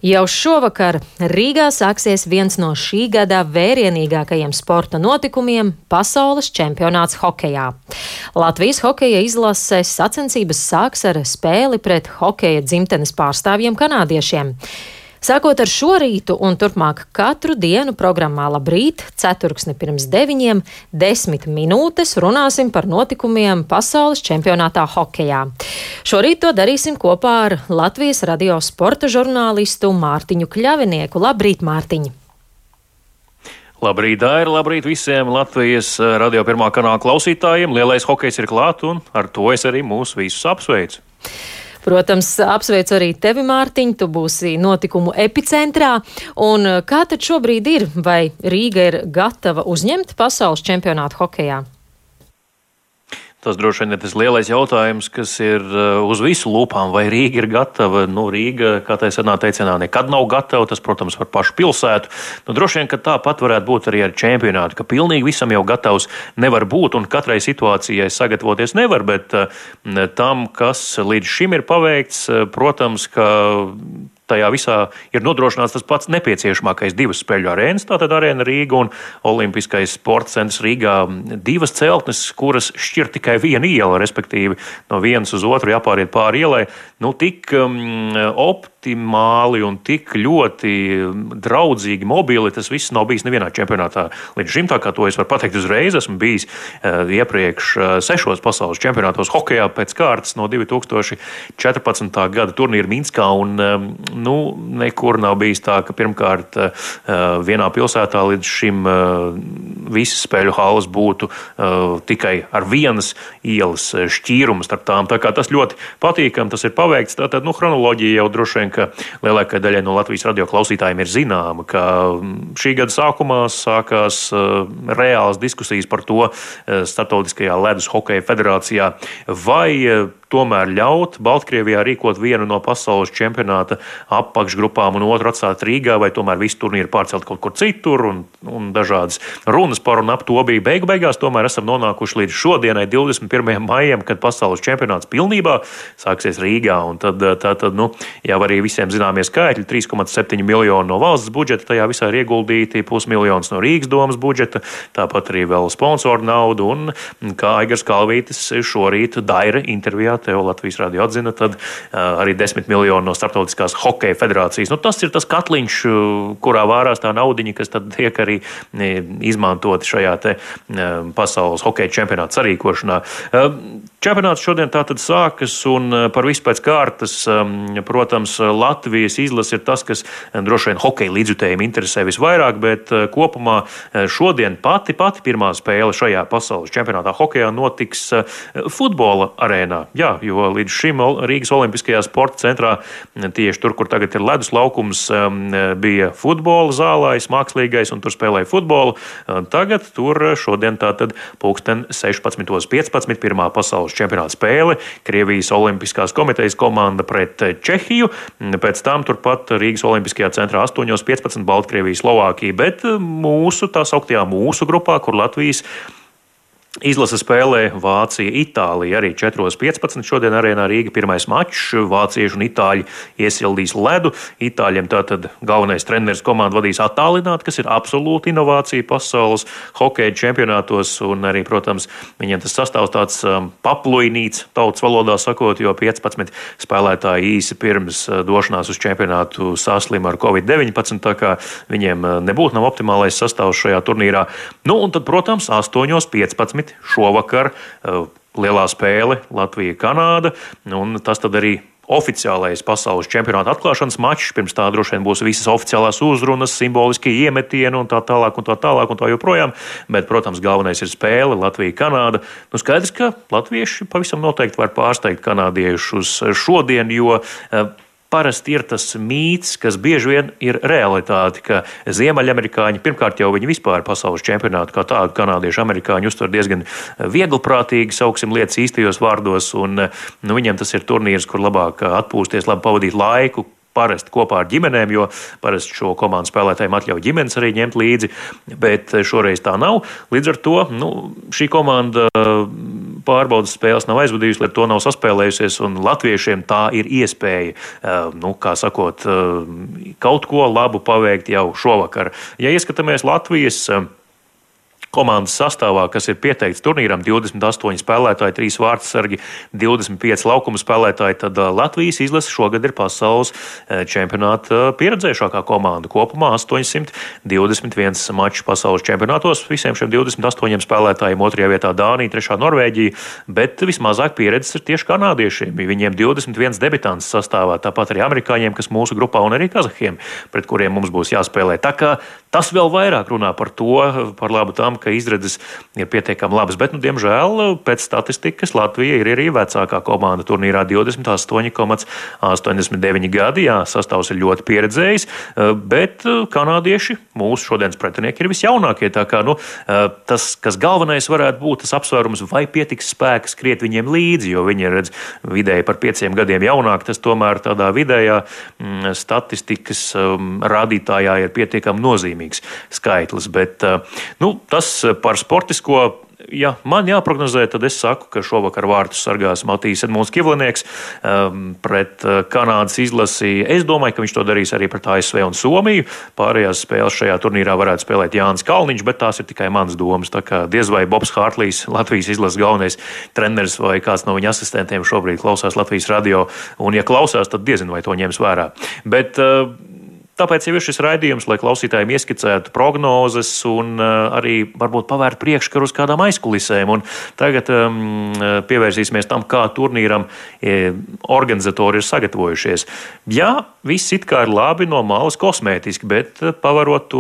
Jau šovakar Rīgā sāksies viens no šī gada vērienīgākajiem sporta notikumiem - pasaules čempionāts hokejā. Latvijas hokeja izlases sacensības sāks ar spēli pret hokeja dzimtenes pārstāvjiem kanādiešiem. Sākot ar šo rītu un turpmāk katru dienu programmā Labrīt, ceturksni pirms 9, 10 minūtes runāsim par notikumiem pasaules čempionātā hokejā. Šorīt to darīsim kopā ar Latvijas radio sporta žurnālistu Mārtiņu Kļavinieku. Labrīt, Mārtiņ! Labrīt, Daira! Labrīt visiem Latvijas radio pirmā kanāla klausītājiem! Lielais hokejs ir klāt un ar to es arī mūs visus apsveicu. Protams, apsveicu arī tevi, Mārtiņ, tu būsi notikumu epicentrā. Un kā tad šobrīd ir? Vai Rīga ir gatava uzņemt pasaules čempionātu hokejā? Tas droši vien ir tas lielais jautājums, kas ir uz visu lūpām, vai Rīga ir gatava. Rīga, kā tā senā teicienā, nekad nav gatava, tas, protams, par pašu pilsētu. Droši vien, ka tāpat varētu būt arī ar čempionātu, ka pilnīgi visam jau gatavs nevar būt un katrai situācijai sagatavoties nevar, bet tam, kas līdz šim ir paveikts, protams, ka tajā visā ir nodrošināts tas pats nepieciešamākais divas spēļu arēnas, tātad Arēna Rīga un Olimpiskais sporta centrs Rīgā. Divas celtnes, kuras šķir tikai viena iela, respektīvi no vienas uz otru jāpāriet pāri ielai. Tik optimāli un tik ļoti draudzīgi mobili tas viss nav bijis nevienā čempionātā līdz šim, tā kā to es varu pateikt uzreiz. Esmu bijis iepriekš 6 pasaules čempionātos hokejā pēc kārtas no 2014. gada turnīra Minskā un nekur nav bijis tā, ka pirmkārt vienā pilsētā līdz šim visas spēļu halas būtu tikai ar vienas ielas šķīrumu starp tām. Tā kā tas ļoti patīkam, tas ir paveikts. Tātad, chronoloģija jau droši vien, ka lielākai daļai no Latvijas radio klausītājiem ir zināma, ka šī gada sākumā sākās reālas diskusijas par to Startautiskajā ledus hokeja federācijā, vai tomēr ļaut Baltkrievijā rīkot vienu no pasaules čempionāta apakšgrupām un otru atstāt Rīgā, vai tomēr visu turnīru pārcelt kaut kur citur, un dažādas runas par un ap to bija. Beigās tomēr esam nonākuši līdz šodienai, 21. maijam, kad pasaules čempionāts pilnībā sāksies Rīgā, un tad jau arī visiem zināmie skaitļi, 3,7 miljoni no valsts budžeta tajā visā ir ieguldīti, 500 000 no Rīgas domas budžeta, tāpat arī vēl sponsoru naudu, un kā Aigars Kalvītis šorīt Daira intervijā tev Latvijas radio atzina, tad arī 10 miljoni no Startautiskās hokeja federācijas. Tas ir tas katliņš, kurā vārās tā naudiņa, kas tad tiek arī izmantoti šajā te pasaules hokeja čempionāta sarīkošanā. Čempionāts šodien tātad sākas un par visu pēc kārtas, protams, Latvijas izlase ir tas, kas droši vien hokeja līdzjutējiem interesē visvairāk, bet kopumā šodien pati pirmā spēle šajā pasaules čempionātā hokejā notiks futbola arēnā. Jā, jo līdz šim Rīgas Olimpiskajā sporta centrā, tieši tur, kur tagad ir ledus laukums, bija futbola zālājs, mākslīgais, un tur spēlēja futbolu. Tagad tur šodien tātad 16:15 pirmā pasaules čempionāta spēle, Krievijas Olimpiskās komitejas komanda pret Čehiju, pēc tam turpat Rīgas Olimpiskajā centrā 8:15 Baltkrievija, Slovākija, bet tā sauktajā mūsu grupā, kur Latvijas izlase spēlē Vācija, Itālija arī 4:15. Šodien arēnā Rīga pirmais mačs. Vācieši un itāļi iesildīs ledu. Itāļiem tātad galvenais treneris komandu vadīs attālināti, kas ir absolūta inovācija pasaules hokeja čempionātos. Un arī, protams, viņiem tas sastāvs tāds papluinīts, tautas valodā sakot, jo 15 spēlētāji īsi pirms došanās uz čempionātu saslima ar Covid-19, tā kā viņiem nebūtu nav optimālais sastāvs šajā turnīrā. Un tad, protams, 8:15. Šovakar lielā spēle Latvija-Kanāda, un tas tad arī oficiālais pasaules čempionāta atklāšanas mačs. Pirms tā droši vien būs visas oficiālās uzrunas, simboliskie iemetieni un tā tālāk un tā joprojām. Bet, protams, galvenais ir spēle Latvija-Kanāda. Skaidrs, ka latvieši pavisam noteikti var pārsteigt kanādiešus šodien, jo parasti ir tas mīts, kas bieži vien ir realitāte, ka ziemeļamerikāņi, pirmkārt jau viņi vispār pasaules čempionātu kā tādu kanādiešu amerikāņu uztver diezgan vieglprātīgi, sauksim lietas īstajos vārdos, un viņiem tas ir turnīrs, kur labāk atpūsties, labi pavadīt laiku, parasti kopā ar ģimenēm, jo parasti šo komandu spēlētājiem atļauj ģimenes arī ņemt līdzi, bet šoreiz tā nav. Līdz ar to šī komanda pārbaudas spēles nav aizvadījusi, lai to nav saspēlējusies, un latviešiem tā ir iespēja, kā sakot, kaut ko labu paveikt jau šovakar. Ja ieskatāmies Latvijas komandas sastāvā, kas ir pieteikts turnīram, 28 spēlētāji, 3 vārtsargi, 25 laukuma spēlētāji, tad Latvijas izlase šogad ir pasaules čempionāta pieredzējušākā komanda. Kopumā 821 maču pasaules čempionātos, visiem šiem 28 spēlētājiem, 2. vietā Dānija, 3. Norvēģija, bet vismazāk pieredzes ir tieši kanādiešiem. Viņiem 21 debitants sastāvā, tāpat arī amerikāņiem, kas mūsu grupā, un arī kazahiem, pret kuriem mums būs jāspēlē. Tā kā tas vēl vairāk runā par to, par labu tam, ka izredzes ir pietiekami labas, bet, diemžēl, pēc statistikas Latvija ir arī vecākā komanda turnīrā 28,89 gadi. Jā, sastāvs ir ļoti pieredzējis, bet kanādieši, mūsu šodienas pretinieki, ir visjaunākie. Tā kā, tas, kas galvenais varētu būt, tas apsvērums, vai pietiks spēka skriet viņiem līdzi, jo viņi ir, vidēji par 5 gadiem jaunāki, tas tomēr tādā vidējā statistikas rādītājā ir pietiekami nozīmīgs skaitlis, bet, tas par sportisko, ja man jāprognozē, tad es saku, ka šovakar vārtus sargās Matīs Edmunds Kivlinieks pret Kanādas izlasi. Es domāju, ka viņš to darīs arī pret ASV un Somiju. Pārējās spēles šajā turnīrā varētu spēlēt Jānis Kalniņš, bet tās ir tikai manas domas. Tā kā diez vai Bobs Hārtlīs, Latvijas izlases galvenais treneris vai kāds no viņa asistentiem šobrīd klausās Latvijas radio, un ja klausās, tad diezinu, vai to ņems vērā. Bet tāpēc jau ir šis raidījums, lai klausītājiem ieskicētu prognozes un arī varbūt pavērt priekškaru uz kādām aizkulisēm. Un tagad pievērsīsimies tam, kā turnīram organizatori ir sagatavojušies. Jā, viss it kā ir labi no malas kosmētiski, bet pavarot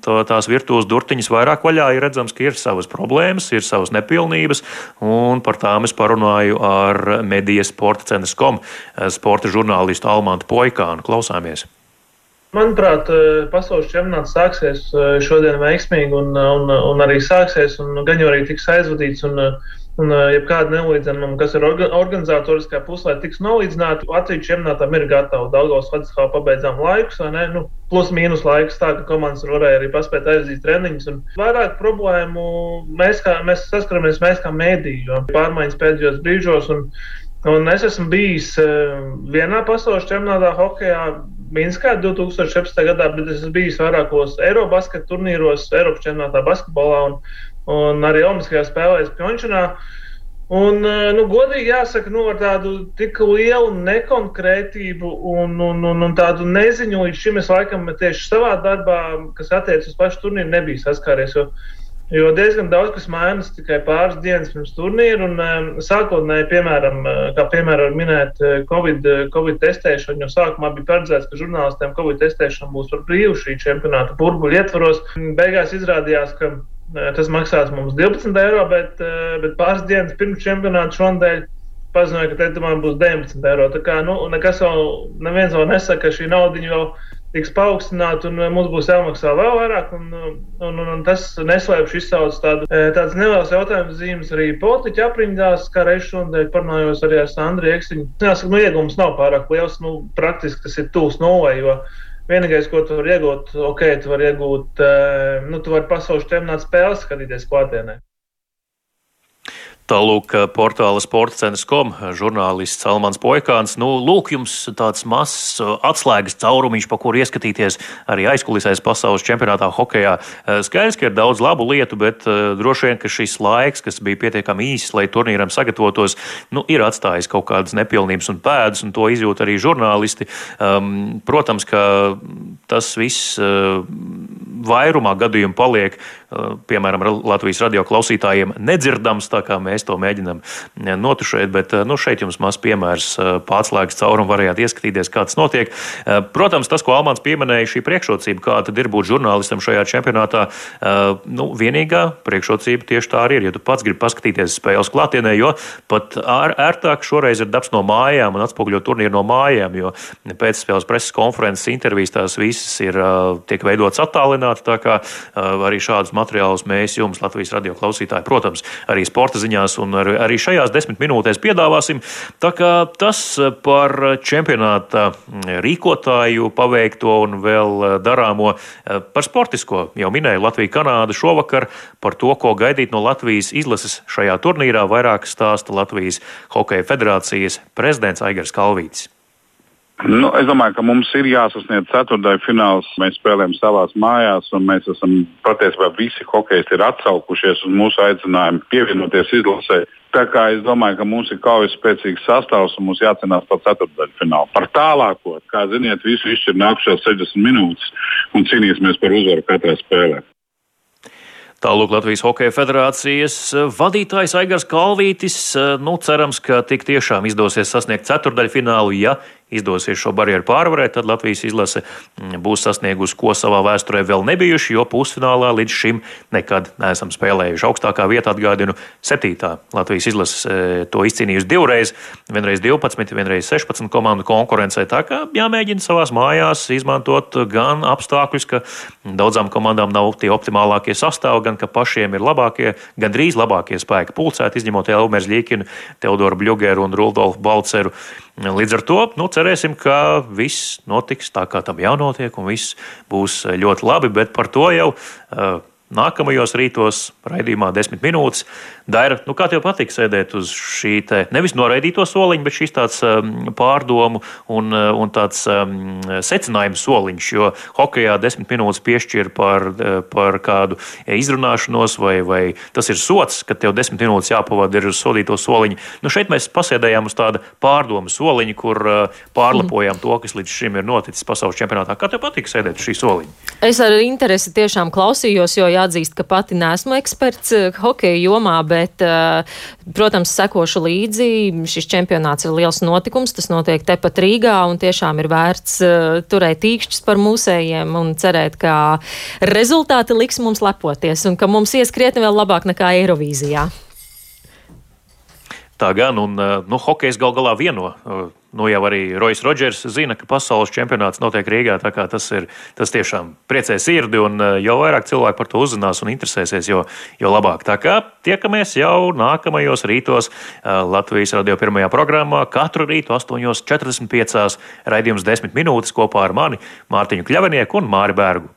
tās virtuves durtiņas vairāk vaļā, ir redzams, ka ir savas problēmas, ir savas nepilnības, un par tām es parunāju ar Media Sporta.com sporta žurnālistu Almantu Poikānu. Klausāmies! Manuprāt, pasaules čempionāts sāksies šodien veiksmīgi un arī sāksies, un gan jau arī tiks aizvadīts, un jebkāda nelīdzenuma, kas ir organizatoriskā pusē, tiks nolīdzināta. Latvijas čempionātam ir gatava. Daugavas Vladislava pabeidzām laikus, vai ne? Plus mīnus laikus, tā ka komandas varēja arī paspēt aiziet treniņus. Un vairāk problēmu mēs saskaramies kā mēdī, jo pārmaiņas pēdējos brīžos, un es esmu bijis vienā pasaules čempionātā hokejā, Minskā 2017. gadā, bet es esmu bijis vairākos Eirobasket turnīros, Eiropas čempionātā basketbolā un arī Olimpiskajās spēlēs Pjončanā. Un, godīgi jāsaka, ar tādu tik lielu nekonkrētību un tādu neziņu līdz šim es laikam tieši savā darbā, kas attiec uz pašu turnīru, nebija saskāries, jo diezgan daudz kas mainas tikai pāris dienas pirms turnīra, un sākotnēji, piemēram, minēt Covid testēšanu, jo sākumā bija paredzēts, ka žurnālistiem Covid testēšana būs par brīvu šī čempionāta burbuļu ietvaros. Beigās izrādījās, ka tas maksās mums 12 eiro, bet pāris dienas pirms čempionāta šonadēļ paziņoja, ka man būs 19 eiro. Tā kā, nekas neviens vēl nesaka, ka šī naudiņa vēl tiks paaugstināta un mums būs jāmaksā vēl vairāk, un tas neslēpš izsauc tādas nelielas jautājumas zīmes arī politiķu aprindās, kā reiz šodien parunājos arī ar Sandru Iekstiņu. Jāsaka, iegums nav pārāk liels, praktiski tas ir tūs nulai, jo vienīgais, ko tu vari iegūt, tu vari pasaules čempionāta spēles skatīties klātienē. Tālūk, portāla Sporta.com žurnālists Almans Poikāns. Lūk, jums tāds mazs atslēgas caurumiņš, pa kuru ieskatīties arī aizkulisēs pasaules čempionātā hokejā. Skaidrs, ka ir daudz labu lietu, bet droši vien, ka šis laiks, kas bija pietiekami īss, lai turnīram sagatavotos, ir atstājis kaut kādas nepilnības un pēdas, un to izjūt arī žurnālisti. Protams, ka tas viss vairumā gadījumu paliek, piemēram, Latvijas radio klausītājiem nedzirdams, tā kā mēs to mēģinām notušēt, bet šeit jums mazs piemērs pārslēgas caurumu varējāt ieskatīties, kā tas notiek. Protams, tas, ko Almans pieminēja, šī priekšrocība, kā tad ir būt žurnālistam šajā čempionātā, vienīgā priekšrocība tieši tā arī ir, ja tu pats gribi paskatīties spēles klātienē, jo pat ērtāk šoreiz ir darbs no mājām un atspoguļot turnīru no mājām, jo pēcspēles preses konferences intervijas tās visas tiek veidotas attālināti, tā kā arī šādus materiālus mēs jums, Latvijas radio klausītāji, protams, arī sporta ziņās un arī šajās 10 minūtēs piedāvāsim. Tā kā tas par čempionāta rīkotāju paveikto un vēl darāmo. Par sportisko jau minēju Latviju-Kanādu šovakar. Par to, ko gaidīt no Latvijas izlases šajā turnīrā, vairāk stāsta Latvijas Hokeja federācijas prezidents Aigars Kalvītis. Es domāju, ka mums ir jāsasniedz ceturtdaļu fināls. Mēs spēlējam savās mājās, un mēs esam patiesībā visi hokeisti ir atsaukušies uz mūsu aicinājumu pievienoties izlasē. Tā kā es domāju, ka mums ir kaujas spēcīgs sastāvs un mums jācenās par ceturtdaļu finālu. Par tālāko, kā ziniet, visu izšķir nākušās 60 minūtes un cīnīsimies par uzvaru katrā spēlē. Tālūk Latvijas Hokeja federācijas vadītājs Aigars Kalvītis. Cerams, ka tik tiešām izdosies sasniegt ceturtdaļfinālu. Ja izdosies šo barjeru pārvarēt, tad Latvijas izlase būs sasniegusi, ko savā vēsturē vēl nebijuši, jo pusfinālā līdz šim nekad neesam spēlējuši. Augstākā vieta, atgādinu, 7. Latvijas izlase to izcīnījusi divreiz, vienreiz 12, vienreiz 16 komandu konkurencē. Tā kā jāmēģina savās mājās izmantot gan apstākļus, ka daudzām komandām nav tie optimālākie sastāvi, gan ka pašiem ir labākie, gandrīz labākie spēki pulcēti, izņemot Elmeru Ļīkinu, Teodoru Bļugeru un Rudolfu Balceru. Līdz ar to cerēsim, ka viss notiks tā, kā tam jānotiek, un viss būs ļoti labi, bet par to jau nākamajos rītos raidījumā 10 minūtes. Daira, kā tev patīk sēdēt uz šī te nevis noraidīto soliņa, bet šīs tāds pārdomu un tāds secinājums soliņš, jo hokejā 10 minūtes piešķir par kādu izrunāšanos vai tas ir sots, ka tev 10 minūtes jāpavada ir uz sodīto soliņu. Šeit mēs pasēdējām uz tāda pārdomu soliņa, kur pārlepojām to, kas līdz šim ir noticis pasaules čempionātā. Kā tev patīk sēdēt uz šī soliņa? Es ar interesi tiešām klausījos, jo jāatzīst, ka pati neesmu eksperts hokeja jomā, bet, protams, sekošu līdzi. Šis čempionāts ir liels notikums, tas notiek tepat Rīgā, un tiešām ir vērts turēt īkšķus par mūsējiem un cerēt, ka rezultāti liks mums lepoties un ka mums ies krietni vēl labāk nekā Eirovīzijā. Tā gan, un hokejs gal galā vieno. Jau arī Roijs Rodžers zina, ka pasaules čempionāts notiek Rīgā, tā kā tas tiešām priecē sirdi, un jo vairāk cilvēki par to uzzinās un interesēsies, jo labāk. Tā kā tiekamies jau nākamajos rītos Latvijas radio pirmajā programmā, katru rītu 8:45 raidījums 10 minūtes kopā ar mani, Mārtiņu Kļavenieku un Māri Bērgu.